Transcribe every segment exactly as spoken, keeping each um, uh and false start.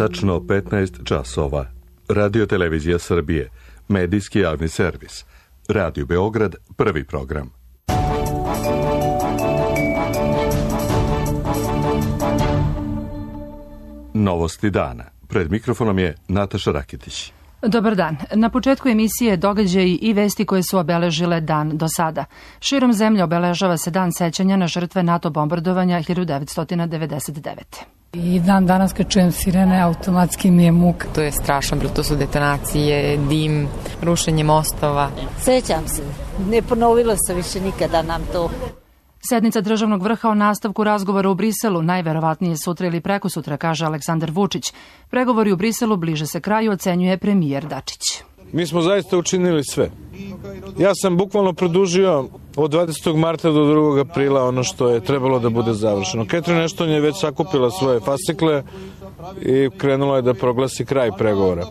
Tačno petnaest časova. Radio Televizija Srbije, medijski javni servis. Radio Beograd, prvi program. Novosti dana. Pred mikrofonom je Nataša Rakitić. Dobar dan. Na početku emisije događaji i vesti koje su obeležile dan do sada. Širom zemlje obeležava se dan sećanja na žrtve NATO bombardovanja hiljadu devetsto devedeset devete. I dan danas kad čujem sirene, automatski mi je muka. To je strašno, bilo to su detonacije, dim, rušenje mostova. Sećam se, ne ponovilo se više nikada nam to. Sednica državnog vrha o nastavku razgovora u Briselu najverovatnije sutra ili prekosutra, kaže Aleksandar Vučić. Pregovori u Briselu bliže se kraju, ocenjuje premijer Dačić. Mi smo zaista učinili sve. Ja sam bukvalno produžio od dvadesetog marta do drugog aprila ono što je trebalo da bude završeno. Catherine Ashton je već sakupila svoje fascikle i krenula je da proglasi kraj pregovora.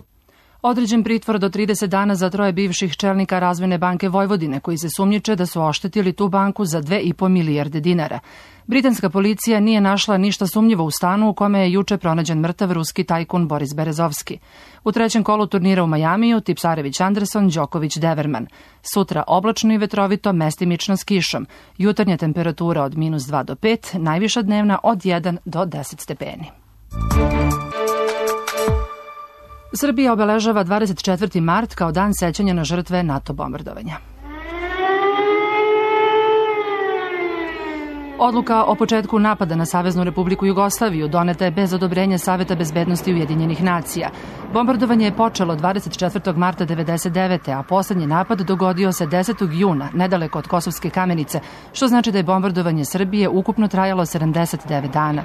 Određen pritvor do trideset dana za troje bivših čelnika Razvojne banke Vojvodine, koji se sumnjiče da su oštetili tu banku za dve i po milijarde dinara. Britanska policija nije našla ništa sumnjivo u stanu u kome je juče pronađen mrtav ruski tajkun Boris Berezovski. U trećem kolu turnira u Majamiju Tipsarević Anderson, Đoković Deverman. Sutra oblačno i vetrovito, mestimično s kišom. Jutarnja temperatura od minus dva do pet, najviša dnevna od jedan do deset stepeni. Srbija obeležava dvadeset četvrti mart kao dan sećanja na žrtve NATO bombardovanja. Odluka o početku napada na Saveznu Republiku Jugoslaviju doneta je bez odobrenja Saveta bezbednosti Ujedinjenih nacija. Bombardovanje je počelo dvadeset četvrtog marta devedeset devete. a poslednji napad dogodio se desetog juna, nedaleko od Kosovske Kamenice, što znači da je bombardovanje Srbije ukupno trajalo sedamdeset devet dana.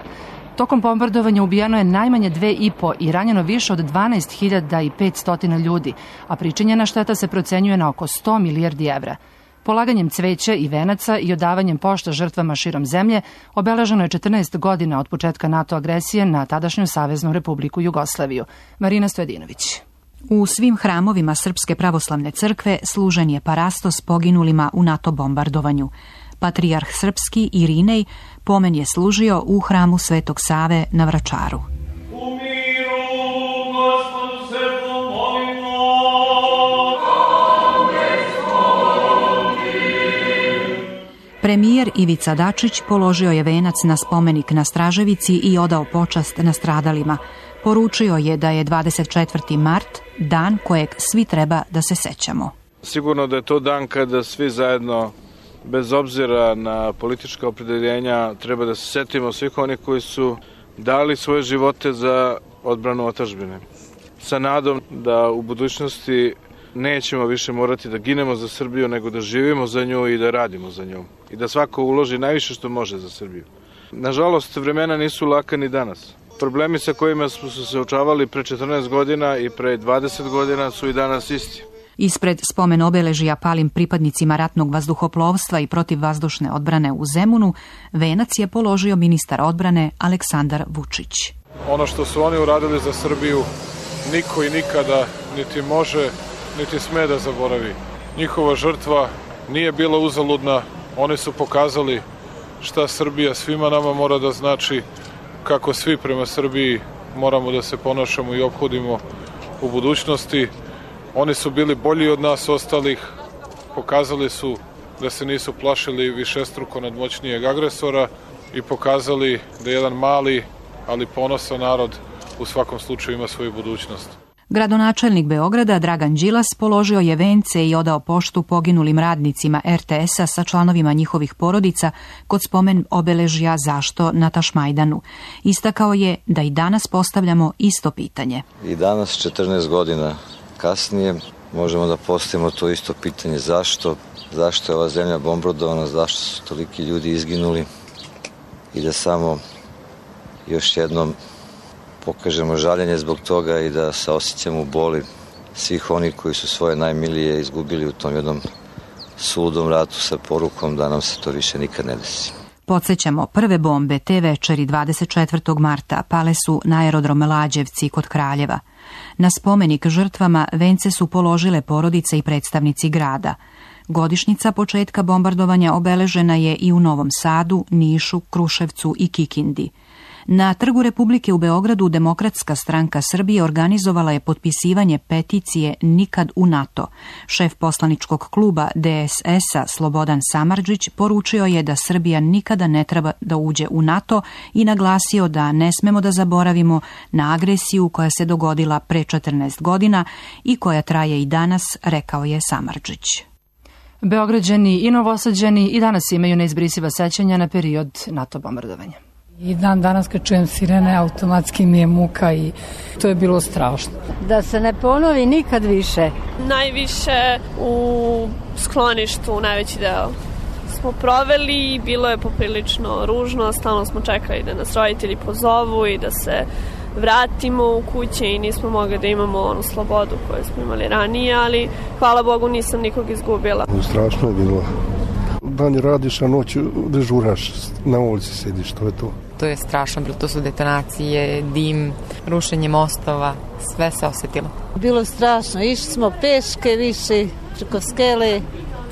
Tokom bombardovanja ubijeno je najmanje dve i po i ranjeno više od dvanaest hiljada petsto ljudi, a pričinjena šteta se procenjuje na oko sto milijardi evra. Polaganjem cveća i venaca i odavanjem pošta žrtvama širom zemlje obeleženo je četrnaest godina od početka NATO agresije na tadašnju Saveznu Republiku Jugoslaviju. Marina Stojedinović. U svim hramovima Srpske pravoslavne crkve služen je parastos poginulima u NATO bombardovanju. Patrijarh srpski Irinej pomen je služio u hramu Svetog Save na Vračaru. Premijer Ivica Dačić položio je venac na spomenik na Straževici i odao počast nastradalima. Poručio je da je dvadeset četvrti mart dan kojeg svi treba da se sećamo. Sigurno da je to dan kada svi zajedno, bez obzira na politička opredeljenja, treba da se setimo svih onih koji su dali svoje živote za odbranu otadžbine. Sa nadom da u budućnosti nećemo više morati da ginemo za Srbiju, nego da živimo za nju i da radimo za nju. I da svako uloži najviše što može za Srbiju. Nažalost, vremena nisu laka ni danas. Problemi sa kojima smo se suočavali pre četrnaest godina i pre dvadeset godina su i danas isti. Ispred spomen obeležija palim pripadnicima ratnog vazduhoplovstva i protivvazdušne odbrane u Zemunu, venac je položio ministar odbrane Aleksandar Vučić. Ono što su oni uradili za Srbiju, niko i nikada niti može, niti sme da zaboravi. Njihova žrtva nije bila uzaludna, oni su pokazali šta Srbija svima nama mora da znači, kako svi prema Srbiji moramo da se ponašamo i ophodimo u budućnosti. Oni su bili bolji od nas ostalih, pokazali su da se nisu plašili višestruko nadmoćnijeg agresora i pokazali da jedan mali, ali ponosan narod u svakom slučaju ima svoju budućnost. Gradonačelnik Beograda Dragan Đilas položio je vence i odao poštu poginulim radnicima er te esa sa članovima njihovih porodica kod spomen obeležja Zašto na Tašmajdanu. Istakao je da i danas postavljamo isto pitanje. I danas, četrnaest godina kasnije, možemo da postavimo to isto pitanje. Zašto? Zašto je ova zemlja bombardovana? Zašto su toliki ljudi izginuli? I da samo još jednom pokažemo žaljenje zbog toga i da saosećamo boli svih onih koji su svoje najmilije izgubili u tom jednom suludom ratu sa porukom da nam se to više nikad ne desi. Podsećamo, prve bombe te večeri dvadeset četvrtog marta pale su na aerodrom Lađevci kod Kraljeva. Na spomenik žrtvama vence su položile porodice i predstavnici grada. Godišnjica početka bombardovanja obeležena je i u Novom Sadu, Nišu, Kruševcu i Kikindi. Na Trgu Republike u Beogradu Demokratska stranka Srbije organizovala je potpisivanje peticije Nikad u NATO. Šef poslaničkog kluba D S S-a Slobodan Samardžić poručio je da Srbija nikada ne treba da uđe u NATO i naglasio da ne smemo da zaboravimo na agresiju koja se dogodila pre četrnaest godina i koja traje i danas, rekao je Samardžić. Beograđani i Novosađani i danas imaju neizbrisiva sećanja na period NATO bombardovanja. I dan danas kad čujem sirene, automatski mi je muka i to je bilo strašno. Da se ne ponovi nikad više. Najviše u skloništu, najveći deo smo proveli i bilo je poprilično ružno, stalno smo čekali da nas roditelji pozovu i da se vratimo u kuće i nismo mogli da imamo onu slobodu koju smo imali ranije, ali hvala Bogu nisam nikog izgubila. Strašno je bilo. Dan radiš, a noću dežuraš, na ulici sediš, to je to. To je strašno bilo, to su detonacije, dim, rušenje mostova, sve se osetilo. Bilo strašno, išli smo peške više, preko skele,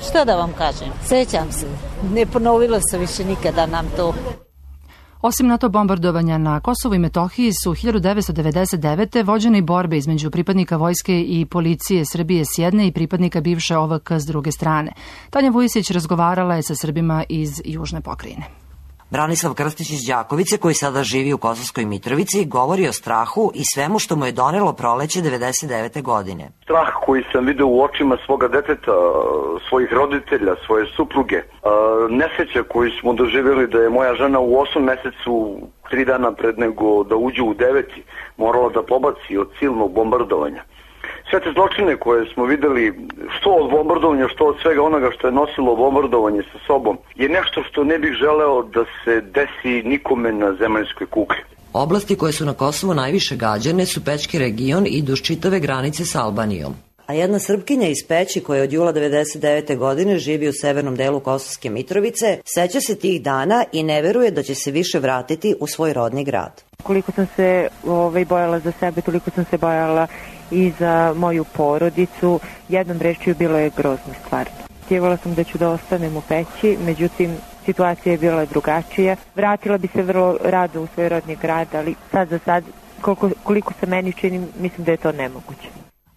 šta da vam kažem, sećam se, ne ponovilo se više nikada nam to. Osim NATO bombardovanja na Kosovu i Metohiji su hiljadu devetsto devedeset devete. vođene i borbe između pripadnika vojske i policije Srbije s jedne i pripadnika bivše O V K s druge strane. Tanja Vujisić razgovarala je sa Srbima iz Južne pokrajine. Branislav Krstić iz Đakovice, koji sada živi u Kosovskoj Mitrovici, govori o strahu i svemu što mu je donelo proleće devedeset devete godine. Strah koji sam video u očima svoga deteta, svojih roditelja, svoje supruge, nesreće koju smo doživjeli da je moja žena u osmom mesecu, tri dana pred nego da uđe u deveti, morala da pobaci od silnog bombardovanja. Sve te zločine koje smo videli, što od bombardovanja, što od svega onoga što je nosilo bombardovanje sa sobom, je nešto što ne bih želeo da se desi nikome na zemaljskoj kugli. Oblasti koje su na Kosovu najviše gađane su Pećki region i duž čitave granice s Albanijom. A jedna Srpkinja iz Peći, koja od jula devedeset devete godine živi u severnom delu Kosovske Mitrovice, seća se tih dana i ne veruje da će se više vratiti u svoj rodni grad. Koliko sam se ovaj, bojala za sebe, toliko sam se bojala i za moju porodicu. Jednom rečju bilo je grozno stvarno. Htjevala sam da ću da ostanem u Peći, međutim situacija je bila drugačija. Vratila bi se vrlo rado u svoj rodni grad, ali sad za sad, koliko, koliko se meni čini, mislim da je to nemoguće.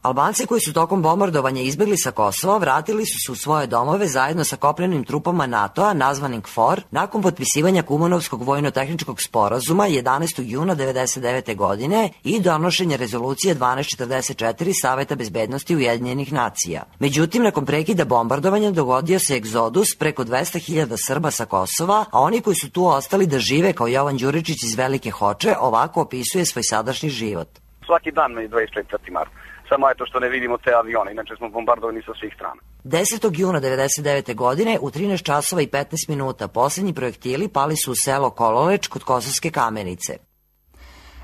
Albanci koji su tokom bombardovanja izbjegli sa Kosova vratili su se u svoje domove zajedno sa kopnenim trupama NATO-a nazvanim KFOR nakon potpisivanja Kumanovskog vojno-tehničkog sporazuma jedanaestog juna devedeset devete godine i donošenja rezolucije dvanaest četrdeset četiri Saveta bezbednosti Ujedinjenih nacija. Međutim, nakon prekida bombardovanja dogodio se egzodus preko dvesta hiljada Srba sa Kosova, a oni koji su tu ostali da žive kao Jovan Đuričić iz Velike Hoče ovako opisuje svoj sadašnji život. Svaki dan me dvadeset četvrti mart. Samo je to što ne vidimo te avione, inače smo bombardovani sa svih strana. desetog juna devedeset devete godine u trinaest časova i petnaest minuta posljednji projektili pali su u selo Kololeč kod Kosovske Kamenice.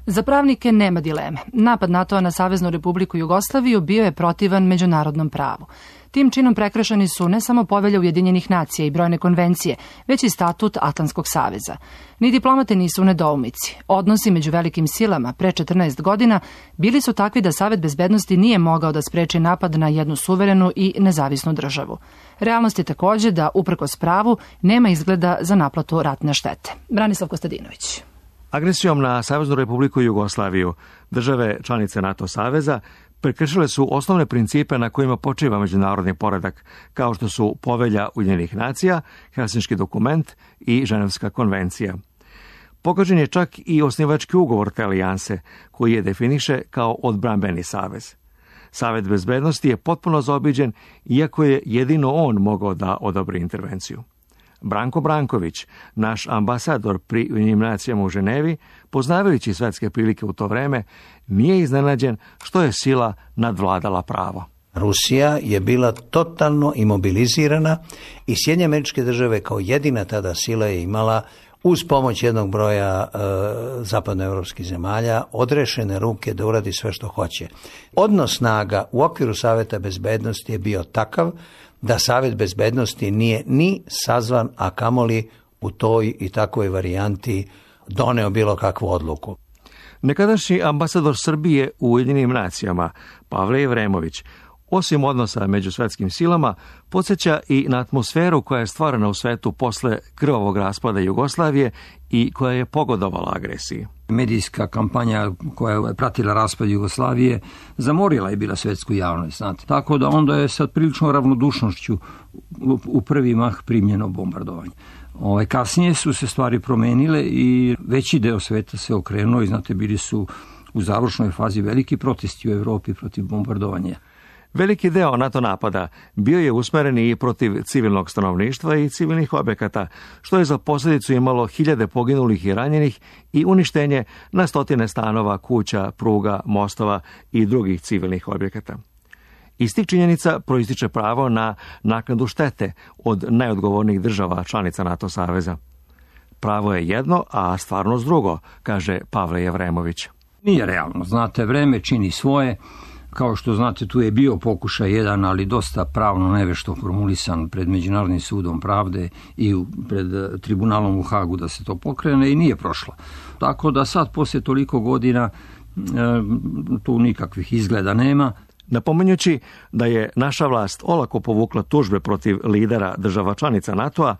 Za pravnike nema dileme. Napad NATO-a na Saveznu Republiku Jugoslaviju bio je protivan međunarodnom pravu. Tim činom prekršeni su ne samo Povelja Ujedinjenih nacija i brojne konvencije, već i statut Atlantskog saveza. Ni diplomate nisu u nedoumici. Odnosi među velikim silama pre četrnaest godina bili su takvi da Savet bezbednosti nije mogao da spreči napad na jednu suverenu i nezavisnu državu. Realnost je takođe da, uprkos pravu, nema izgleda za naplatu ratne štete. Branislav Kostadinović. Agresijom na Saveznu Republiku Jugoslaviju države članice NATO saveza prekršile su osnovne principe na kojima počiva međunarodni poredak, kao što su Povelja Ujedinjenih nacija, Helsinški dokument i Ženevska konvencija. Pogađen je čak i osnivački ugovor te alijanse, koji je definiše kao odbrambeni savez. Savet bezbednosti je potpuno zaobiđen, iako je jedino on mogao da odobri intervenciju. Branko Branković, naš ambasador pri Ujedinjenim nacijama u Ženevi, poznavajući svetske prilike u to vreme, nije iznenađen što je sila nadvladala pravo. Rusija je bila totalno imobilizirana i Sjedinjene Američke Države kao jedina tada sila je imala, uz pomoć jednog broja e, zapadnoevropskih zemalja, odrešene ruke da uradi sve što hoće. Odnos snaga u okviru Saveta bezbednosti je bio takav da Savet bezbednosti nije ni sazvan, a kamoli u toj i takvoj varijanti doneo bilo kakvu odluku. Nekadašnji ambasador Srbije u Ujedinjenim nacijama, Pavle Jevremović, osim odnosa među svetskim silama, podsjeća i na atmosferu koja je stvorena u svetu posle krvavog raspada Jugoslavije i koja je pogodovala agresiji. Medijska kampanja koja je pratila raspad Jugoslavije zamorila je bila svetsku javnost, znate. Tako da onda je sa priličnom ravnodušnošću u prvi mah primljeno bombardovanje. Ovaj, kasnije su se stvari promenile i veći deo sveta se okrenuo i, znate, bili su u završnoj fazi veliki protesti u Evropi protiv bombardovanja. Veliki deo NATO napada bio je usmeren i protiv civilnog stanovništva i civilnih objekata, što je za posljedicu imalo hiljade poginulih i ranjenih i uništenje na stotine stanova, kuća, pruga, mostova i drugih civilnih objekata. Iz tih činjenica proističe pravo na naknadu štete od najodgovornijih država članica NATO saveza. Pravo je jedno, a stvarnost drugo, kaže Pavle Jevremović. Nije realno, znate, vreme čini svoje. Kao što znate, tu je bio pokušaj jedan, ali dosta pravno nevešto formulisan pred Međunarodnim sudom pravde i pred tribunalom u Hagu da se to pokrene i nije prošlo. Tako da sad, poslije toliko godina, tu nikakvih izgleda nema. Napominjući da je naša vlast olako povukla tužbe protiv lidera država članica NATO-a,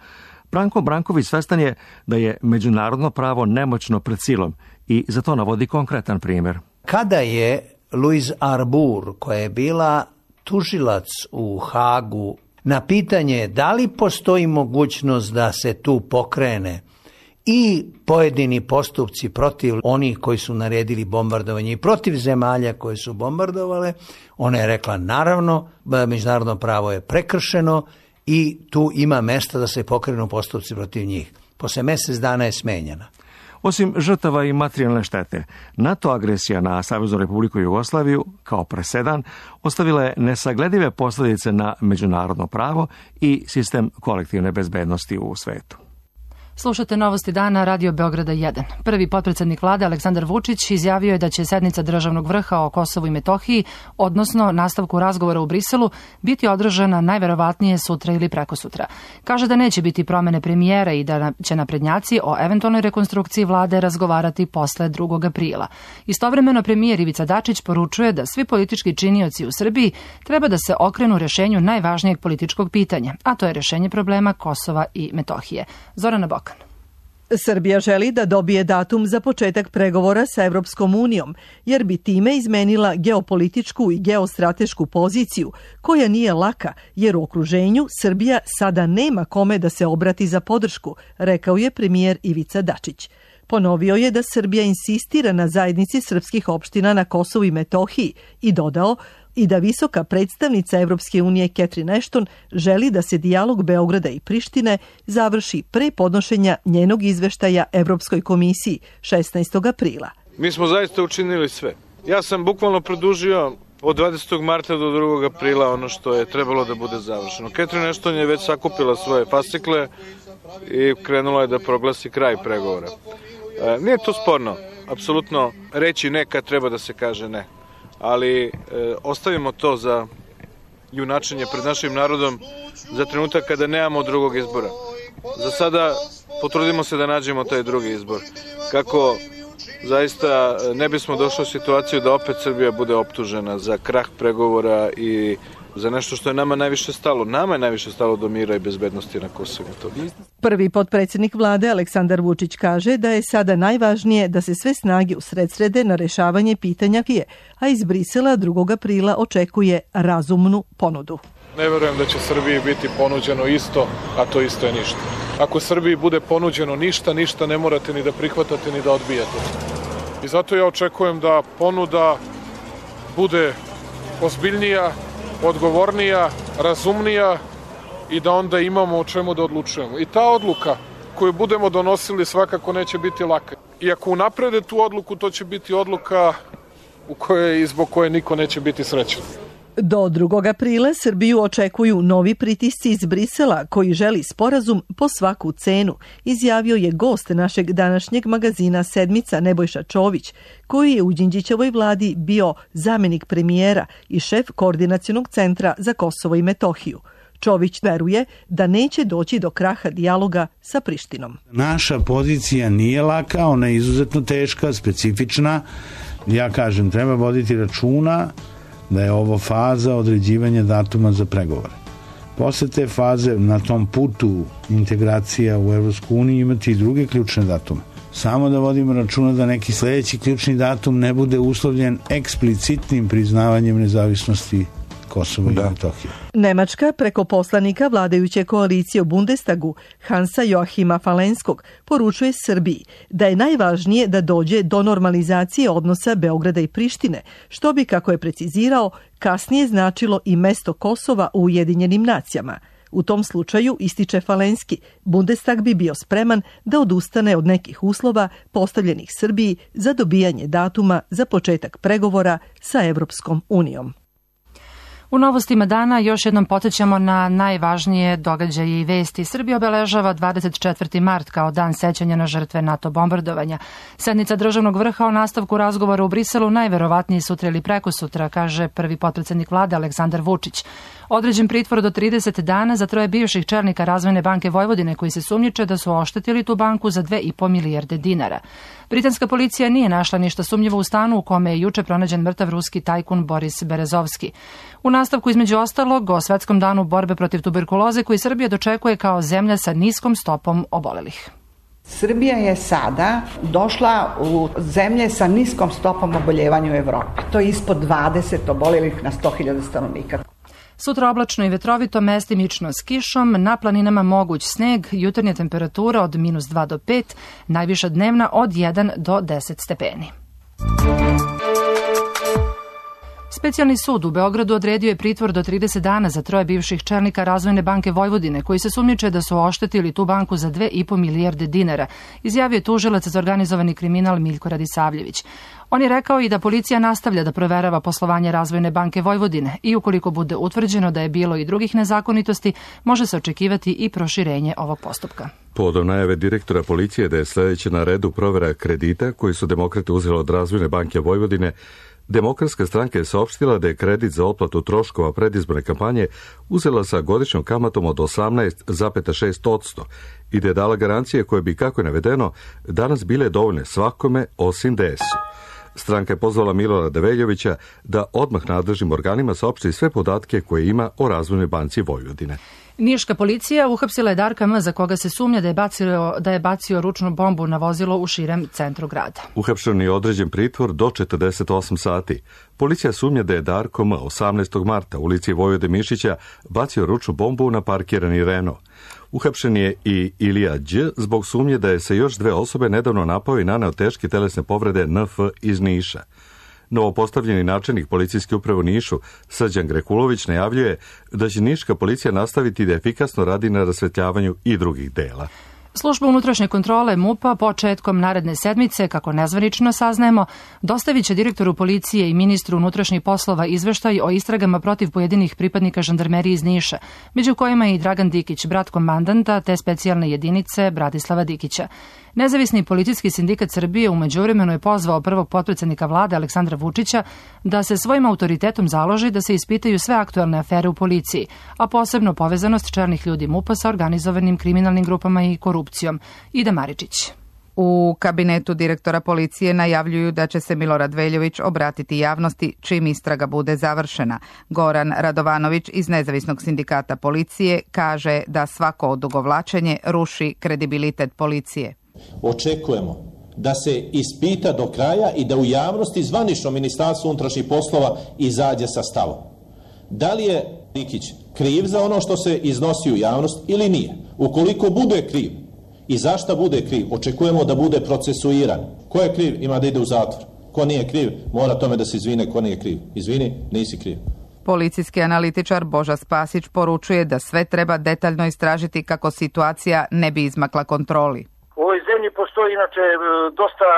Branko Branković svestan je da je međunarodno pravo nemoćno pred silom i za to navodi konkretan primjer. Kada je Louise Arbour, koja je bila tužilac u Hagu, na pitanje da li postoji mogućnost da se tu pokrene i pojedini postupci protiv onih koji su naredili bombardovanje i protiv zemalja koje su bombardovale, ona je rekla naravno, međunarodno pravo je prekršeno i tu ima mesta da se pokrenu postupci protiv njih. Posle mjesec dana je smenjena. Osim žrtava i materijalne štete, NATO agresija na Saveznu Republiku Jugoslaviju, kao presedan, ostavila je nesagledive posljedice na međunarodno pravo i sistem kolektivne bezbednosti u svetu. Slušate Novosti dana, Radio Beograda jedan. Prvi potpredsjednik vlade Aleksandar Vučić izjavio je da će sednica državnog vrha o Kosovu i Metohiji, odnosno nastavku razgovora u Briselu, biti održana najverovatnije sutra ili prekosutra. Kaže da neće biti promene premijera i da će naprednjaci o eventualnoj rekonstrukciji vlade razgovarati posle drugog aprila. Istovremeno premijer Ivica Dačić poručuje da svi politički činioci u Srbiji treba da se okrenu rešenju najvažnijeg političkog pitanja, a to je rešenje problema Kosova i Metohije. Zorana Bok. Srbija želi da dobije datum za početak pregovora sa Evropskom unijom, jer bi time izmenila geopolitičku i geostratešku poziciju, koja nije laka, jer u okruženju Srbija sada nema kome da se obrati za podršku, rekao je premijer Ivica Dačić. Ponovio je da Srbija insistira na zajednici srpskih opština na Kosovu i Metohiji i dodao i da visoka predstavnica Evropske unije Catherine Ashton želi da se dijalog Beograda i Prištine završi pre podnošenja njenog izveštaja Evropskoj komisiji šesnaestog aprila. Mi smo zaista učinili sve. Ja sam bukvalno produžio od dvadesetog marta do drugog aprila ono što je trebalo da bude završeno. Catherine Ashton je već sakupila svoje fascikle i krenula je da proglasi kraj pregovora. E, nije to sporno. Apsolutno reći ne kad treba da se kaže ne. Ali e, ostavimo to za junačenje pred našim narodom za trenutak kada nemamo drugog izbora. Za sada potrudimo se da nađemo taj drugi izbor. Kako zaista ne bismo došli u situaciju da opet Srbija bude optužena za krah pregovora i za nešto što je nama najviše stalo. Nama je najviše stalo do mira i bezbednosti na Kosovu. Prvi potpredsjednik vlade Aleksandar Vučić kaže da je sada najvažnije da se sve snage usredsrede na rešavanje pitanja Kije, a iz Brisela drugog aprila očekuje razumnu ponudu. Ne verujem da će Srbiji biti ponuđeno isto, a to isto je ništa. Ako Srbiji bude ponuđeno ništa, ništa ne morate ni da prihvatate ni da odbijate. I zato ja očekujem da ponuda bude ozbiljnija, odgovornija, razumnija i da onda imamo o čemu da odlučujemo. I ta odluka koju budemo donosili svakako neće biti laka. I ako unaprede tu odluku, to će biti odluka u kojoj i zbog koje niko neće biti srećan. Do drugog aprila Srbiju očekuju novi pritisci iz Brisela koji želi sporazum po svaku cenu, izjavio je gost našeg današnjeg magazina Sedmica Nebojša Čović, koji je u Đinđićevoj vladi bio zamjenik premijera i šef koordinacionog centra za Kosovo i Metohiju. Čović veruje da neće doći do kraha dijaloga sa Prištinom. Naša pozicija nije laka, ona je izuzetno teška, specifična. Ja kažem, treba voditi računa da je ovo faza određivanja datuma za pregovore. Posle te faze na tom putu integracija u Evropsku uniju imati i druge ključne datume. Samo da vodimo računa da neki sledeći ključni datum ne bude uslovljen eksplicitnim priznavanjem nezavisnosti Kosova i Metohije. Nemačka preko poslanika vladajuće koalicije u Bundestagu Hansa Joachima Falenskog poručuje Srbiji da je najvažnije da dođe do normalizacije odnosa Beograda i Prištine, što bi, kako je precizirao, kasnije značilo i mesto Kosova u Ujedinjenim nacijama. U tom slučaju, ističe Falenski, Bundestag bi bio spreman da odustane od nekih uslova postavljenih Srbiji za dobijanje datuma za početak pregovora sa Evropskom unijom. U novostima dana još jednom podsjećamo na najvažnije događaje i vesti. Srbija obeležava dvadeset četvrti mart kao dan sećanja na žrtve NATO bombardovanja. Sednica državnog vrha o nastavku razgovora u Briselu najverovatnije sutra ili prekosutra, kaže prvi potpredsednik vlade Aleksandar Vučić. Određen pritvor do trideset dana za troje bivših čelnika Razvojne banke Vojvodine koji se sumnjiče da su oštetili tu banku za dve i po milijarde dinara. Britanska policija nije našla ništa sumnjivo u stanu u kome je juče pronađen mrtav ruski tajkun Boris Berezovski. U nastavku između ostalog o Svetskom danu borbe protiv tuberkuloze koji Srbija dočekuje kao zemlja sa niskom stopom obolelih. Srbija je sada došla u zemlje sa niskom stopom oboljevanja u Evropi. To je ispod dvadeset obolelih na sto hiljada stanovnika. Sutra oblačno i vetrovito, mestimično s kišom, na planinama moguć sneg, jutarnja temperatura od minus dva do pet, najviša dnevna od jedan do deset stepeni. Specijalni sud u Beogradu odredio je pritvor do trideset dana za troje bivših čelnika Razvojne banke Vojvodine koji se sumnjiče da su oštetili tu banku za dve i po milijarde dinara, izjavio je tužilac za organizovani kriminal Miljko Radisavljević. On je rekao i da policija nastavlja da proverava poslovanje Razvojne banke Vojvodine i ukoliko bude utvrđeno da je bilo i drugih nezakonitosti, može se očekivati i proširenje ovog postupka. Povodom najave direktora policije da je sledeće na redu provera kredita koji su demokrate uzeli od Razvojne banke Vojvodine, Demokratska stranka je saopštila da je kredit za otplatu troškova predizborne kampanje uzela sa godišnjom kamatom od osamnaest zarez šest posto i da je dala garancije koje bi, kako je navedeno, danas bile dovoljne svakome osim D S-u. Stranka je pozvala Milorada Veljovića da odmah nadležnim organima saopšti sve podatke koje ima o Razvojnoj banci Vojvodine. Niška policija uhapsila je Darka M, za koga se sumnja da je bacio, da je bacio ručnu bombu na vozilo u širem centru grada. Uhapšen je određen pritvor do četrdeset osam sati. Policija sumnja da je Darko M osamnaestog marta u ulici Vojvode Mišića bacio ručnu bombu na parkirani Renault. Uhapšen je i Ilija Đ zbog sumnje da je se još dve osobe nedavno napao i naneo teške telesne povrede N F iz Niša. Novopostavljeni načelnik policijske uprave u Nišu, Srđan Grekulović, najavljuje da će niška policija nastaviti da efikasno radi na rasvetljavanju i drugih dela. Služba unutrašnje kontrole MUP-a početkom naredne sedmice, kako nezvanično saznajemo, dostavit će direktoru policije i ministru unutrašnjih poslova izveštaj o istragama protiv pojedinih pripadnika žandarmerije iz Niša, među kojima je i Dragan Dikić, brat komandanta te specijalne jedinice Bratislava Dikića. Nezavisni policijski sindikat Srbije u međuvremenu je pozvao prvog potpredsednika vlade Aleksandra Vučića da se svojim autoritetom založi da se ispitaju sve aktuelne afere u policiji, a posebno povezanost čelnih ljudi MUP-a sa organizovanim kriminalnim grupama i korupcijom. Ida Maričić. U kabinetu direktora policije najavljuju da će se Milorad Veljović obratiti javnosti čim istraga bude završena. Goran Radovanović iz Nezavisnog sindikata policije kaže da svako odugovlačenje ruši kredibilitet policije. Očekujemo da se ispita do kraja i da u javnosti zvanično Ministarstvo unutrašnjih poslova izađe sa stavom. Da li je Dikić kriv za ono što se iznosi u javnost ili nije? Ukoliko bude kriv i zašta bude kriv, očekujemo da bude procesuiran. Ko je kriv ima da ide u zatvor. Ko nije kriv mora tome da se izvine ko nije kriv. Izvini, nisi kriv. Policijski analitičar Boža Spasić poručuje da sve treba detaljno istražiti kako situacija ne bi izmakla kontroli. U ovoj zemlji postoji inače dosta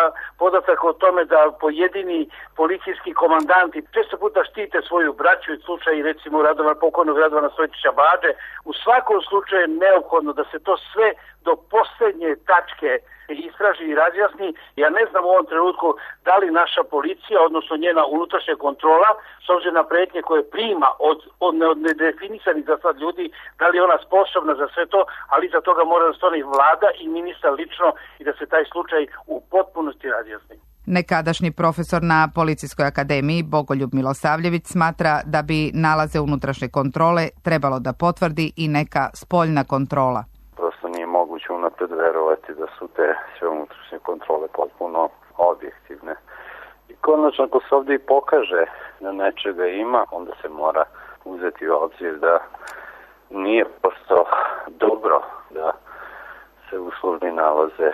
podataka o tome da pojedini policijski komandanti često puta štite svoju braću i slučaj recimo Radovan, pokojnog Radovana Stojčića Bađe. U svakom slučaju je neophodno da se to sve do posljednje tačke istraži i razjasni. Ja ne znam u ovom trenutku da li naša policija, odnosno njena unutrašnja kontrola, s obzirom na prijetnje koje prima od, od nedefinisanih za sad ljudi, da li je ona sposobna za sve to, ali za toga mora da stane vlada i ministar lično i da se taj slučaj u potpunosti razjasni. Nekadašnji profesor na Policijskoj akademiji Bogoljub Milosavljević smatra da bi nalaze unutrašnje kontrole trebalo da potvrdi i neka spoljna kontrola. Prosto nije moguće unapred verovati da su te sve unutrašnje kontrole potpuno objektivne. I konačno, ako se ovdje i pokaže da nečega ima, onda se mora uzeti u obzir da nije prosto dobro da se u službi nalaze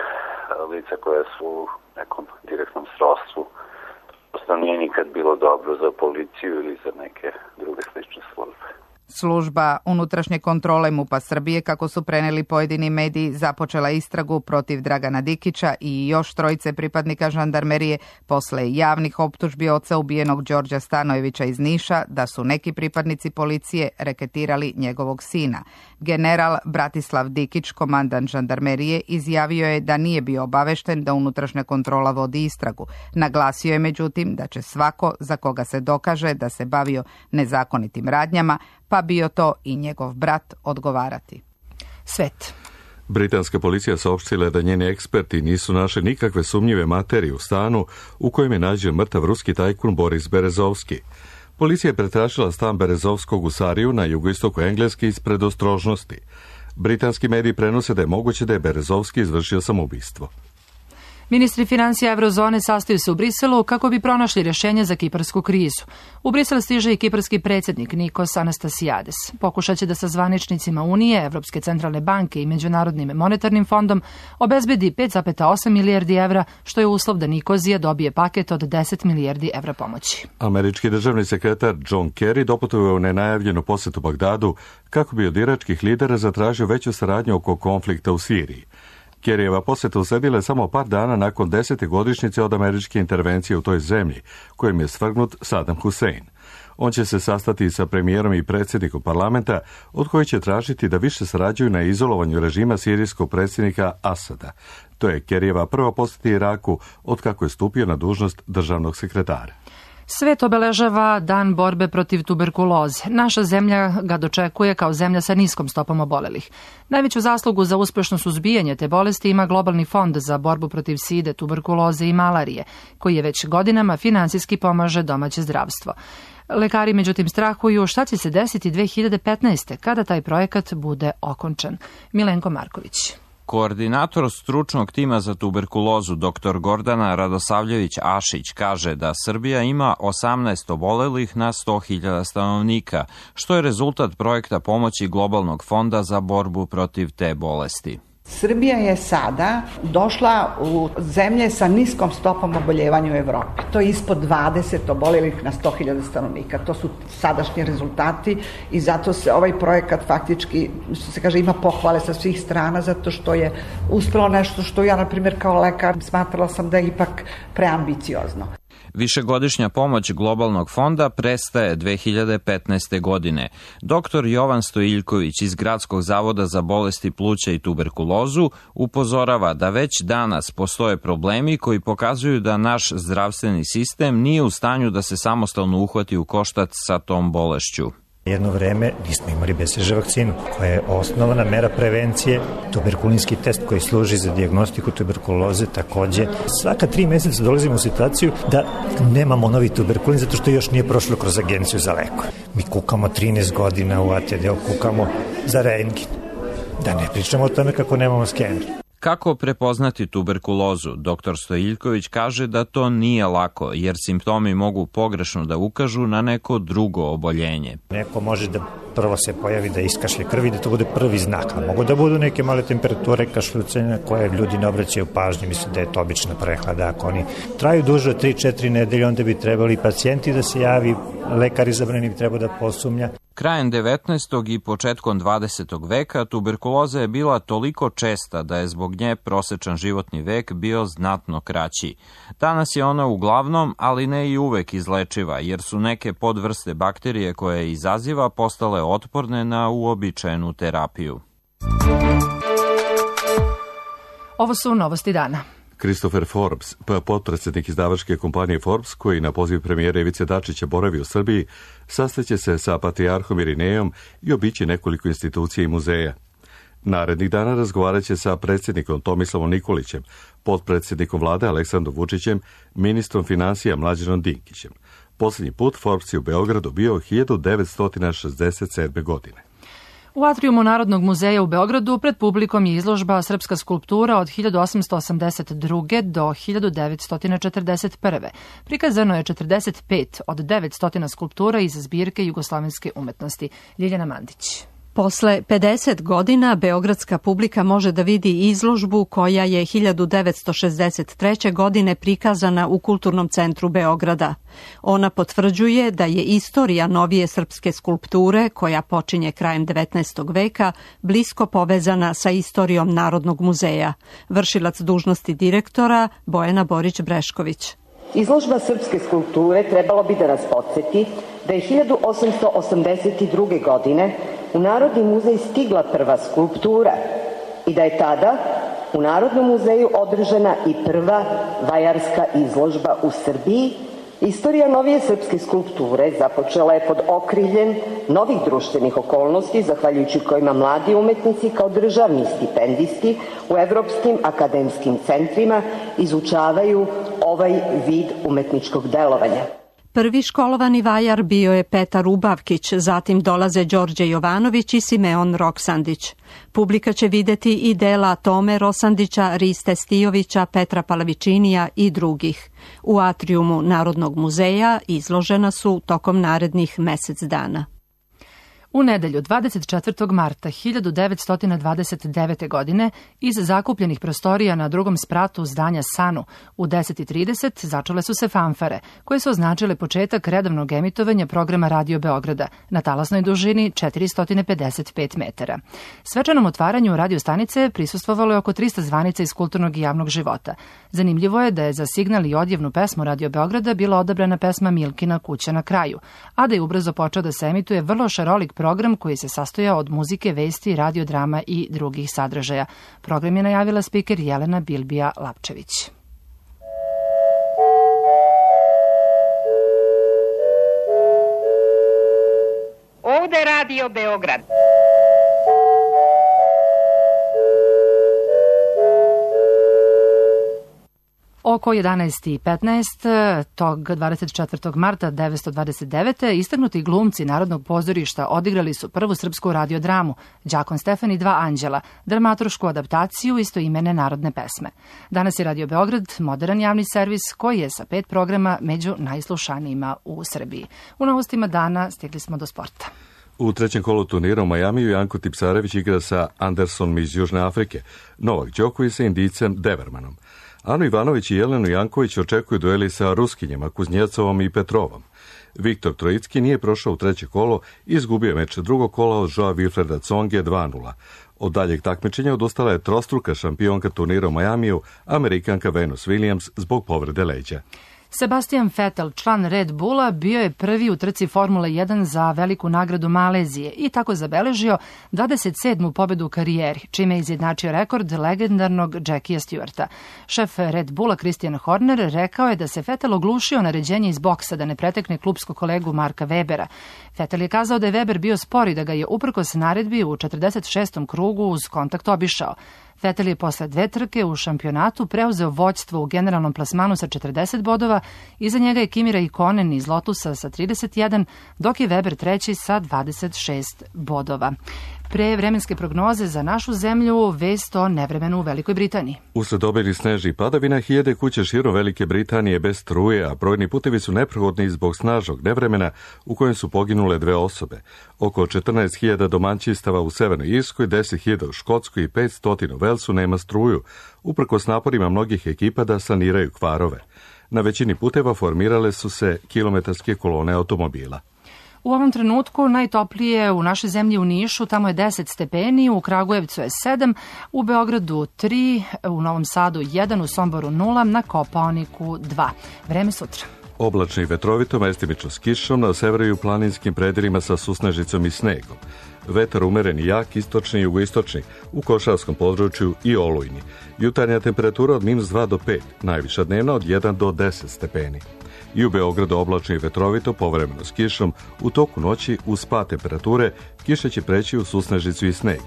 lica koja su u nekom direktnom srodstvu. Prosto nije nikad bilo dobro za policiju ili za neke druge slične službe. Služba unutrašnje kontrole MUP-a Srbije, kako su preneli pojedini mediji, započela istragu protiv Dragana Dikića i još trojice pripadnika žandarmerije posle javnih optužbi oca ubijenog Đorđa Stanojevića iz Niša da su neki pripadnici policije reketirali njegovog sina. General Bratislav Dikić, komandant žandarmerije, izjavio je da nije bio obavešten da unutrašnja kontrola vodi istragu. Naglasio je međutim da će svako za koga se dokaže da se bavio nezakonitim radnjama, pa bio to i njegov brat, odgovarati. Svet. Britanska policija saopštila je da njeni eksperti nisu našli nikakve sumnjive materije u stanu u kojem je nađen mrtav ruski tajkun Boris Berezovski. Policija je pretražila stan Berezovskog u Sariju na jugoistoku Engleske iz predostrožnosti. Britanski mediji prenose da je moguće da je Berezovski izvršio samoubistvo. Ministri financija Eurozone sastaju se u Briselu kako bi pronašli rješenje za kiparsku krizu. U Brisel stiže i kiparski predsjednik Nikos Anastasiades. Pokušaće da sa zvaničnicima Unije, Evropske centralne banke i Međunarodnim monetarnim fondom obezbedi pet zarez osam milijardi evra, što je uslov da Nikozija dobije paket od deset milijardi evra pomoći. Američki državni sekretar John Kerry doputovao u nenajavljenu posjetu Bagdadu kako bi od iračkih lidera zatražio veću saradnju oko konflikta u Siriji. Kerryjeva posjeta usledila je samo par dana nakon desete godišnjice od američke intervencije u toj zemlji, kojim je svrgnut Saddam Hussein. On će se sastati sa premijerom i predsjednikom parlamenta, od koji će tražiti da više sarađuju na izolovanju režima sirijskog predsjednika Asada. To je Kerryjeva prva posjeta Iraku od kako je stupio na dužnost državnog sekretara. Svet obeležava Dan borbe protiv tuberkuloze. Naša zemlja ga dočekuje kao zemlja sa niskom stopom obolelih. Najveću zaslugu za uspešno suzbijanje te bolesti ima Globalni fond za borbu protiv side, tuberkuloze i malarije, koji je već godinama finansijski pomaže domaće zdravstvo. Lekari međutim strahuju šta će se desiti dve hiljade petnaeste. kada taj projekat bude okončan. Milenko Marković. Koordinator stručnog tima za tuberkulozu dr Gordana Radosavljević-Ašić kaže da Srbija ima osamnaest obolelih na sto hiljada stanovnika, što je rezultat projekta pomoći Globalnog fonda za borbu protiv te bolesti. Srbija je sada došla u zemlje sa niskom stopom oboljevanja u Evropi. To je ispod dvadeset obolelih na sto hiljada stanovnika. To su sadašnji rezultati i zato se ovaj projekat faktički, što se kaže, ima pohvale sa svih strana, zato što je uspelo nešto što ja, na primjer, kao lekar smatrala sam da je ipak preambiciozno. Višegodišnja pomoć Globalnog fonda prestaje dve hiljade petnaeste. godine. doktor Jovan Stojiljković iz Gradskog zavoda za bolesti pluća i tuberkulozu upozorava da već danas postoje problemi koji pokazuju da naš zdravstveni sistem nije u stanju da se samostalno uhvati u koštac sa tom bolešću. Jedno vreme nismo imali be ce že vakcinu, koja je osnovna mera prevencije, tuberkulinski test koji služi za dijagnostiku tuberkuloze takođe. Svaka tri meseca dolazimo u situaciju da nemamo novi tuberkulin zato što još nije prošlo kroz agenciju za lekove. Mi kukamo trinaest godina u a te de, kukamo za rentgen. Da ne pričamo o tome kako nemamo skener. Kako prepoznati tuberkulozu? doktor Stojiljković kaže da to nije lako, jer simptomi mogu pogrešno da ukažu na neko drugo oboljenje. Neko može da prvo se pojavi da iskašlje krvi, da to bude prvi znak. A mogu da budu neke male temperature, kašljucanja koje ljudi ne obraćaju pažnju, misle da je to obična prehlada. Ako oni traju duže od tri četiri nedelje, onda bi trebali pacijenti da se javi, lekar izabrani bi trebao da posumnja. Krajem devetnaestog i početkom dvadesetog veka tuberkuloza je bila toliko česta da je zbog nje prosečan životni vek bio znatno kraći. Danas je ona uglavnom, ali ne i uvek izlečiva, jer su neke podvrste bakterije koje izaziva postale otporne na uobičajenu terapiju. Ovo su novosti dana. Christopher Forbes, potpredsjednik izdavačke kompanije Forbes, koji na poziv premijera Ivice Dačića boravi u Srbiji, sastaće se sa patrijarhom Irinejom i obići nekoliko institucija i muzeja. Narednih dana razgovarat će sa predsjednikom Tomislavom Nikolićem, potpredsjednikom vlade Aleksandrom Vučićem, ministrom financija Mlađanom Dinkićem. Posljednji put Forbes je u Beogradu bio hiljadu devetsto šezdeset sedme. godine. U atrijumu Narodnog muzeja u Beogradu pred publikom je izložba Srpska skulptura od hiljadu osamsto osamdeset druge. do hiljadu devetsto četrdeset prve. Prikazano je četrdeset pet od devetsto skulptura iz zbirke jugoslovenske umetnosti. Ljiljana Mandić. Posle pedeset godina beogradska publika može da vidi izložbu koja je hiljadu devetsto šezdeset treće. godine prikazana u Kulturnom centru Beograda. Ona potvrđuje da je istorija novije srpske skulpture, koja počinje krajem devetnaestog veka, blisko povezana sa istorijom Narodnog muzeja. Vršilac dužnosti direktora Bojana Borić-Brešković. Izložba srpske skulpture trebalo bi da nas podsjeti da je hiljadu osamsto osamdeset druge. godine u Narodni muzej stigla prva skulptura i da je tada u Narodnom muzeju održana i prva vajarska izložba u Srbiji. Istorija novije srpske skulpture započela je pod okriljem novih društvenih okolnosti, zahvaljujući kojima mladi umetnici kao državni stipendisti u evropskim akademskim centrima izučavaju ovaj vid umetničkog delovanja. Prvi školovani vajar bio je Petar Ubavkić, zatim dolaze Đorđe Jovanović i Simeon Roksandić. Publika će videti i dela Tome Rosandića, Riste Stijovića, Petra Palavičinija i drugih. U atrijumu Narodnog muzeja izložena su tokom narednih mesec dana. U nedelju dvadeset četvrtog marta hiljadu devetsto dvadeset devete. godine iz zakupljenih prostorija na drugom spratu zdanja Sanu u deset i trideset začele su se fanfare, koje su označile početak redovnog emitovanja programa Radio Beograda na talasnoj dužini četiristo pedeset pet metara. Svečanom otvaranju radio stanice prisustvovalo je oko trista zvanica iz kulturnog i javnog života. Zanimljivo je da je za signal i odjevnu pesmu Radio Beograda bila odabrana pesma Milkina kuća na kraju, a da je ubrzo počeo da se emituje vrlo šarolik program koji se sastojao od muzike, vesti, radiodrama i drugih sadržaja. Program je najavila spiker Jelena Bilbija Lapčević. Ovde Radio Beograd. Oko jedanaest i petnaest tog dvadeset četvrtog marta devetsto dvadeset devete. istaknuti glumci Narodnog pozorišta odigrali su prvu srpsku radiodramu Đakon Stefan i dva anđela, dramaturšku adaptaciju istoimene narodne pesme. Danas je Radio Beograd moderan javni servis koji je sa pet programa među najslušanijima u Srbiji. U novostima dana stigli smo do sporta. U trećem kolu turnira u Majamiju Janko Tipsarević igra sa Andersonom iz Južne Afrike, Novak Đoković sa Indijcem Devermanom. Anu Ivanović i Jelenu Janković očekuju dueli sa Ruskinjama, Kuznjecovom i Petrovom. Viktor Trojicki nije prošao u treće kolo i izgubio meč drugog kola od Joa Wilfreda Tsonge dva nula. Od daljeg takmičenja odustala je trostruka šampionka turnira u Majamiju, Amerikanka Venus Williams, zbog povrede leđa. Sebastian Vettel, član Red Bulla, bio je prvi u trci Formule jedan za veliku nagradu Malezije i tako zabeležio dvadeset sedmu pobedu u karijeri, čime je izjednačio rekord legendarnog Jackija Stewarta. Šef Red Bulla Christian Horner rekao je da se Vettel oglušio naređenje iz boksa da ne pretekne klupskog kolegu Marka Webera. Vettel je kazao da je Weber bio spor i da ga je uprkos naredbi u četrdeset šestom krugu uz kontakt obišao. Vettel je posle dve trke u šampionatu preuzeo vođstvo u generalnom plasmanu sa četrdeset bodova, iza njega je Kimi Räikkönen iz Lotusa sa trideset jedan, dok je Weber treći sa dvadeset šest bodova. Pre vremenske prognoze za našu zemlju, vest o nevremenu u Velikoj Britaniji. Usled obilnih snežnih padavina, hiljade kuće širom Velike Britanije bez struje, a brojni putevi su neprohodni zbog snažnog nevremena u kojem su poginule dve osobe. Oko četrnaest hiljada domaćinstava u Severnoj Irskoj, deset hiljada u Škotskoj i petsto u Velsu nema struju, uprkos naporima mnogih ekipa da saniraju kvarove. Na većini puteva formirale su se kilometarske kolone automobila. U ovom trenutku najtoplije u našoj zemlji u Nišu, tamo je deset stepeni, u Kragujevcu je sedam, u Beogradu tri, u Novom Sadu jedan, u Somboru nula, na Kopaoniku dva. Vreme sutra. Oblačno i vetrovito, mestimično s kišom, na severu i u planinskim predelima sa susnežicom i snegom. Vetar umeren i jak, istočni i jugoistočni, u Košarskom području i olujni. Jutarnja temperatura od minus dva do pet, najviša dnevna od jedan do deset stepeni. I u Beogradu oblačno i vetrovito, povremeno s kišom, u toku noći uz pad temperature, kiša će preći u susnežicu i sneg.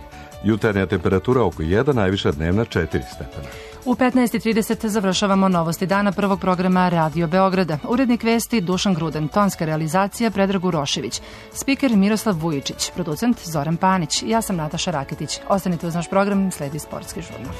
Jutarnja temperatura oko jedan, najviša dnevna četiri stepena. U petnaest i trideset završavamo novosti dana prvog programa Radio Beograda. Urednik vesti Dušan Gruden, tonska realizacija Predrag Urošević, spiker Miroslav Vujičić, producent Zoran Panić. Ja sam Nataša Raketić. Ostanite uz naš program, sledi sportski žurnal.